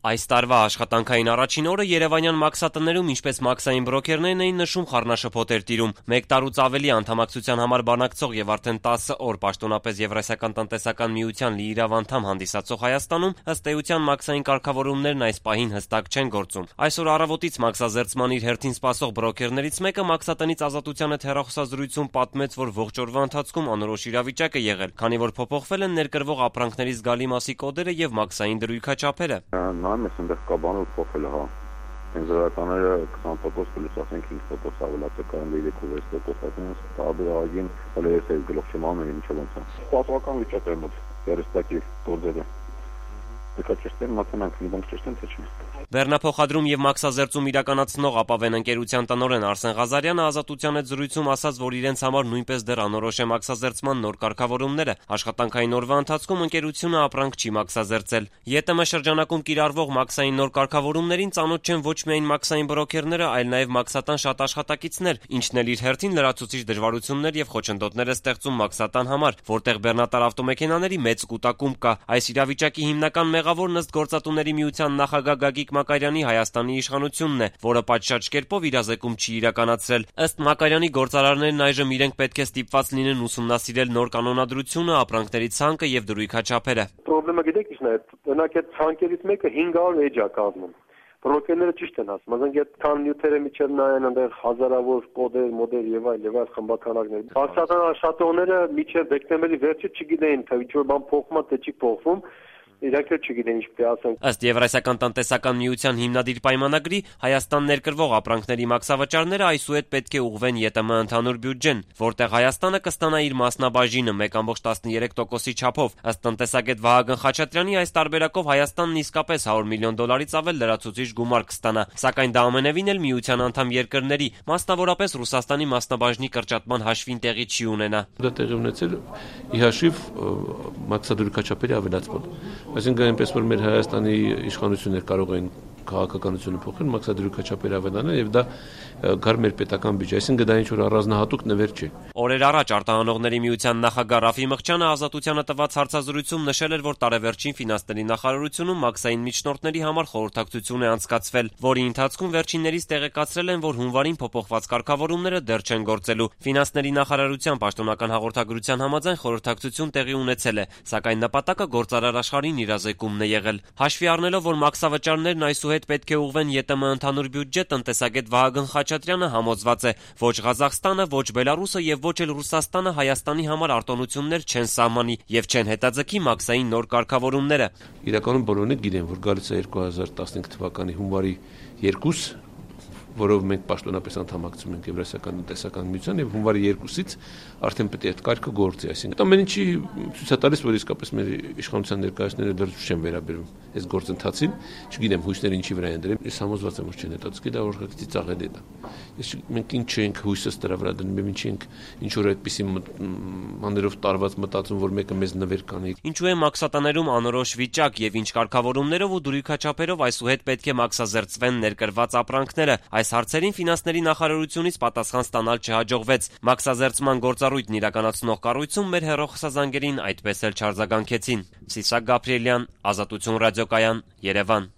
Այս տարվա աշխատանքային առաջին օրը երևանյան մաքսատներում ինչպես մաքսային բրոքերներն էին նշում, խառնաշփոթ էր տիրում։ 1 տարուց ավելի անդամակցության համար բանակցող եւ արդեն 10 օր պաշտոնապես Եվրասիական տնտեսական միության լիիրավ անդամ հանդիսացող Հայաստանում ըստ էության մաքսային կարգավորումներն այս պահին հստակ չեն գործում։ Այսօր առավոտից մաքսազերծման իր հերթին սպասող բրոքերներից մեկը մաքսատնից Ազատության հետ հեռախոսազրույցում պատմեց, որ ողջ օրվա ընթացքում անորոշ իրավիճակ է եղել, քանի որ փոփոխվել են ներկրվող ապրանքների զգալի մասի կոդերը եւ մաքսային դրույքաչափերը։ Նայում ես այնտեղ կա բանով փոխել հա։ Բենզորականները 20% պլյուս ասենք 5% ավելացել կարող 3-6% ասենք տարբերակին հələ ես էլ գլուխ չեմ անում ինչով ոնց է։ Սպասական վիճակ է մոտ երստակի գործերը։ Դե ճիշտ է մատանանք իրանք ճիշտ են թե չէ։ Բեռնափոխադրում եւ մաքսազերծում իրականացնող ապավեն ընկերության տնօրեն Արսեն Ղազարյանը Ազատության հետ զրույցում ասաց, որ իրենց համար նույնպես դեռ անորոշ է մաքսազերծման նոր կարգավորումները։ Աշխատանքային օրվա ընթացքում ընկերությունը ապրանք չի մաքսազերծել։ ԵՏՄ շրջանակում կիրառվող մաքսային նոր կարգավորումներին ծանոթ չեն ոչ միայն մաքսային բրոքերները, այլ նաեւ մաքսատան շատ աշխատակիցներ, ինչն էլ իր հերթին լրացուցիչ դժվարություններ եւ խոչընդոտներ է ստեղծում մաքսատան համար, որտեղ բեռնատար ավտոմեքենաների մեծ կուտակում կա։ Այս իրավիճակի հիմնական մեղավորն ըստ Գործատուների միության նախագահ Գագիկ Մակարյանի Հայաստանի իշխանությունն է, որը պատշաճ կերպով իրազեկում չի իրականացրել։ Ըստ Մակարյանի գործարարներն այժմ իրենք պետք է ստիպված լինեն ուսումնասիրել նոր կանոնադրությունը, ապրանքների ցանկը եւ դրույքաչափերը։ Պրոբլեմը գիտեք ինչն է, օրինակ այդ ցանկերից մեկը 500 էջ է կազմում։ Բրոքերները ճիշտ են ասում, ասենք այդ քան նյութերը միջև նայեն այնտեղ հազարավոր կոդեր, մոդել եւ այլ խմբականակներ։ Մաքսատան աշխատողները միջև դեկտեմբերի վերջը չգիտեին, թե ինչ որ բան փոխվում է, թե չի փոխվում։ Իրանք չգիտեն ինչ պետք է ասեն։ Ըստ Եվրասիական տնտեսական միության հիմնադիր պայմանագրի Հայաստան ներկրվող ապրանքների մաքսավաճառները այսուհետ պետք է ուղղվեն ԵՏՄ ընդհանուր բյուջեն, որտեղ Հայաստանը կստանա իր մասնաբաժինը 1.13%-ի չափով։ Ըստ տնտեսագետ Վահագն Խաչատրյանի այս տարբերակով Հայաստանն իսկապես $100 միլիոն ավել լրացուցիչ գումար կստանա, սակայն դա ամենևին էլ միության անդամ երկրների, մասնավորապես Ռուսաստանի մասնաբաժնի կրճատման հաշվին տեղի չի ունենա։ Դա տեղի ունեցել ի հաշիվ մաքսադրույքաչափերի ավելացման։ Այսինքն այնպես որ մեր Հայաստանի իշխանությունները կարող են քաղաքականությունը փոխել, մաքսադրույքաչափեր ավելանալ եւ դա գար մեր պետական բյուջե, այսինքն դա ինչ որ առանձնահատուկ նվեր չէ։ Օրեր առաջ արտահանողների միության նախագահ Ռաֆի Մղջյանը Ազատությանը տված հարցազրույցում նշել էր, որ տարեվերջին ֆինանսների նախարարությունում մաքսային միջնորդների համար խորհրդակցություն է անցկացվել, որի ընթացքում վերջիններից տեղեկացրել են, որ հունվարին փոփոխված կարգավորումները դեռ չեն գործելու։ Ֆինանսների նախարարության պաշտոնական հաղորդագրության համաձայն խորհրդակցություն տեղի ունեցել է, սակայն նպատակը գործարար աշխարհին իրազեկումն է եղել։ Հաշվի առնելով, որ մաքսավաճառներն այսուհետ պետք է ուղղվեն ԵՏՄ ընդհանուր բյուջե, տնտեսագետ Վահագն Խաչատրյանը համոզված է, ոչ Ղազախստանը, ոչ Բելարուսը եւ ոչ էլ Ռուսաստանը Հայաստանի համար արտոնություններ չեն սահմանի եւ չեն հետաձգի մաքսային նոր կարգավորումները։ Իրականում բոլորն գիտեն, որ գալիս է 2015 թվականի հունվարի 2, որով մենք պաշտոնապես անդամակցում ենք Եվրասիական տնտեսական միության եւ հունվարի 2-ից արդեն պետք է այդ կարգը գործի, այսինքն ամեն ինչի ցույց է տալիս, որ իսկապես մեր իշխանության ներկայացները դեռ չեն վերաբերում այս գործընթացին, չգիտեմ հույսները ինչի վրա են դրել, ես համոզված եմ որ չեն հետաձգի, դա օրգանիզացիա ծաղելի է։ Մենք ինչ ենք հույսս դրա վրա դնում, մենք ինչ ենք ինչ որ այդպիսի մաներով տարված մտածում, որ մեկը մեզ նվեր կանի։ Ինչու է մաքսատաներում անորոշ վիճակ եւ ինչ կարգավորումներով ու դրույքաչափերով այսուհետ պետք է մաքսազերծվեն ներկրված ապրանքները։ Այս հարցերին ֆինանսների նախարարությունից պատասխան ստանալ չհաջողվեց։ Մաքսազերծման գործառույթն իրականացնող կառույցում մեր հեռախոսազանգերին այդպես էլ չարձագանքեցին։ Սիսակ Գաբրիելյան, Ազատություն ռադիոկայան, Երևան։